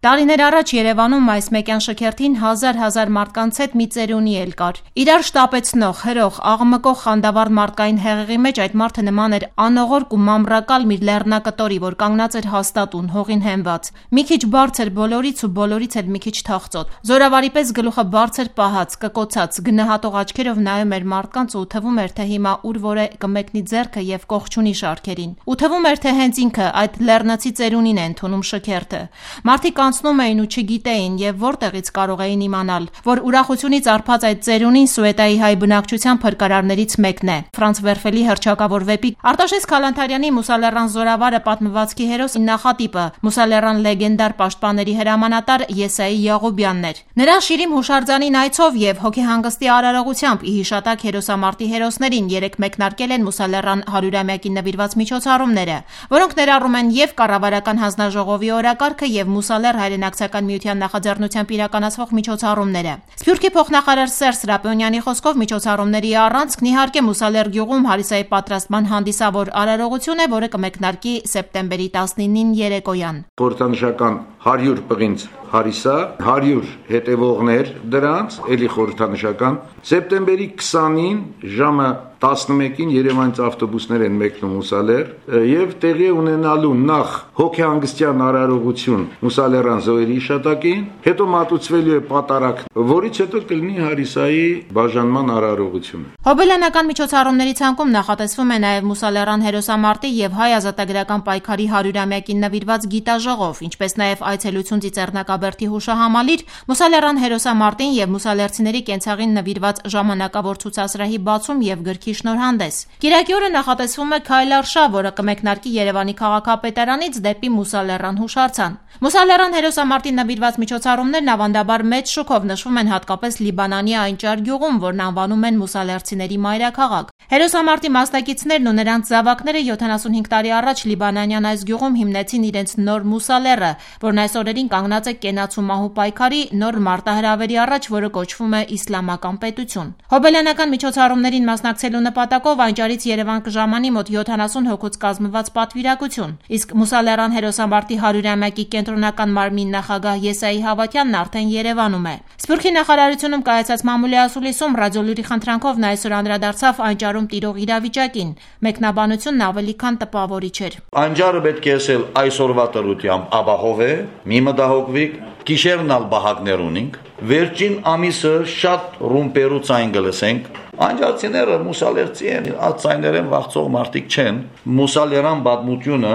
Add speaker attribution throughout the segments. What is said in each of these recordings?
Speaker 1: Տարիներ առաջ Երևանում այս մեկյան շքերթին հազար մարդկանց հետ մի ծերունի էլ կար։ Իրար շտապեցնող, հրող, աղմկող խանդավառ մարդկային հեղեղի մեջ այդ մարդը նման էր անողորկ ու մամրակալ մի լեռնակտորի, որ կանգնած էր հաստատուն, հողին հենված։ Մի քիչ բարձր բոլորից ու բոլորից էլ մի քիչ թախծոտ։ Զորավարի պես գլուխը բարձր պահած, կկոցած, գնահատող աչքերով նայում էր մարդկանց ու թվում էր, թե հիմա ուր որ է կմեկնի ձեռքը եւ կողչունի շարքերին։ Ու թվում էր, թե հենց ինքը այդ լեռնացի ծերունին է ընդունում շքերթը։ Մարդիկ անցնում էին ու չգիտեին եւ որտեղից կարող էին իմանալ, որ ուրախությունից արփած այդ ծերունին Սուեդայի հայ բնակչության փրկարարներից մեկն է։ Ֆրանց Վերֆելի հռչակավոր վեպի Արտաշես Քալանթարյանի Մուսալեռան զորավարը պատմվածքի հերոս նախատիպը Մուսալեռան լեգենդար պաշտպանների հրամանատար Եսայի Յաղոբյանն էր։ Նրա շիրիմ հուշարձանին այցով եւ հոգեհանգստի արարողությամբ ի հիշատակ հերոսամարտի հերոսներին երեք մեկնարկել են Մուսալեռան 100-ամյակին նվիրված միջոցառումները, որոնք ներառում են եւ կառավարական հանձնաժողովի օրակարգը եւ Մուսալեռ հայրենակցական միության նախաձեռնությամբ իրականացվող միջոցառումները։ Սփյուռքի փոխնախարար Սերժ Սրապյոնյանի խոսքով միջոցառումների առանցքն իհարկե Մուսալեռ գյուղում Հարիսայի պատրաստման հանդիսավոր արարողություն է, որը կմեկնարկի սեպտեմբերի 19-ին երեկոյան։
Speaker 2: Խորհրդանշական 100 պղինձ Հարիսա, 100 հետևողներ դրանց, էլի խորհրդանշական, սեպտեմբերի 20-ին ժամը 11-ին Երևանից ավտոբուսներ են մեկնում Մուսալեռ եւ տեղի ունենալու նախ հոգեհանգստյան արարողություն Մուսալեռան զոհերի հիշատակին, հետո մատուցվելու է պատարակ, որից հետո կլինի Հարիսայի բաժանման արարողությունը։
Speaker 1: Հոբելյանական միջոցառումների ցանկում նախատեսվում է նաեւ Մուսալեռան հերոսամարտի եւ հայ ազատագրական պայքարի 100-ամյակին նվիրված գիտաժողով, ինչպես նաեւ այցելություն Ծիծեռնակաբերդի հուշահամալիր, Մուսալեռան հերոսամարտին եւ մուսալերցիների կենցաղին նվիրված ժամանակավոր ցուցասրահի բացում եւ գրքի շնորհանդես։ Կիրակի օրը նախատեսվում է քայլարշավ, որը կմեկնարկի Երևանի քաղաքապետարանից դեպի Մուսալեռան հուշարձան։ Մուսալեռան հերոսամարտին նվիրված միջոցառումներն ավանդաբար մեծ շուկով նշվում են հատկապես Լիբանանի Այնճար գյուղում, որն անվանում են մուսալերցիների մայրաքաղաք։ Հերոսամարտի մասնակիցներն ու նրանց զավակները 75 տարի առաջ լիբանանյան այս գյուղում հիմնեցին իրենց նոր Մուսալեռը, որն այս օրերին կանգնած է կենաց ու մահու պայքարի նոր մարտահրավերի առաջ, որը կոչվում է Իսլամական պետություն։ Հոբելյանական միջոցառումներին մասնակցելու նպատակով Այնճարից Երևան կժամանի մոտ 70 հոգուց կազմված պատվիրակություն, իսկ Մուսալեռան հերոսամարտի 100-ամյակի կենտրոնական մարմնի նախագահ Եսայի Հավատյանն արդեն Երևանում է։ Սփյուռքի նախարարությունում կայացած մամուլի ասուլիսում ռադիոլուրի խնդրանքով նա այսօր անդրադարձավ Այնճարում տիրող իրավիճակին։ Մեկնաբանությունն ավելի քան տպավորիչ էր։
Speaker 3: Այնճարը պետք է ասել այսօրվա տրությամբ ապահով է, մի մտահոգվիկ, գիշերն ալ բահակներ ունենք, վերջին ամիսը շատ ռումպերու ցայն գլսենք։ Անջարցիները մուսալերցի են, ածայներեն վախցող մարդիկ չեն։ Մուսալերան պատմությունը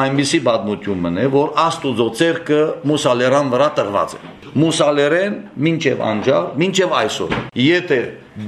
Speaker 3: այնպիսի պատմություն է, որ Աստուծո ցերկը մուսալերան վրա տրված է։ Մուսալերեն մինչև անջար, մինչև այսօր։ Եթե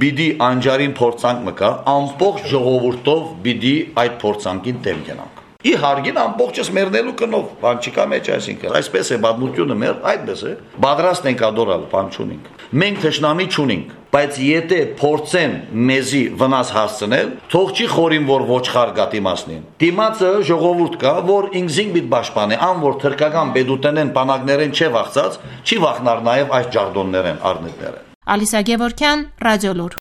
Speaker 3: բիդի անջարին փորձանք մկա, ամբողջ ժողովուրդով բիդի այդ փորձանքին դեմ գնանք։ Իհարկե ամբողջս մեռնելու կնով, բան չկա մեջ, այսինքն այսպես է պատմությունը մեր, այդպես է։ Պատրաստ ենք ադորալ, բան չունենք։ Մենք թշնամի չունենք, բայց եթե փորձեն մեզի վնաս հասցնել, թող չի խորին որ ոչխար գա դիմացնին։ Դիմացը ժողովուրդ կա, որ ինքզին բիտ պաշտպանի, ան որ թրկական բեդուտենեն բանակներեն չի վախծած, չի վախնար նաև այս ջարդոններեն, առնետներեն։
Speaker 1: Ալիսա Գևորգյան, Ռադիոլուր։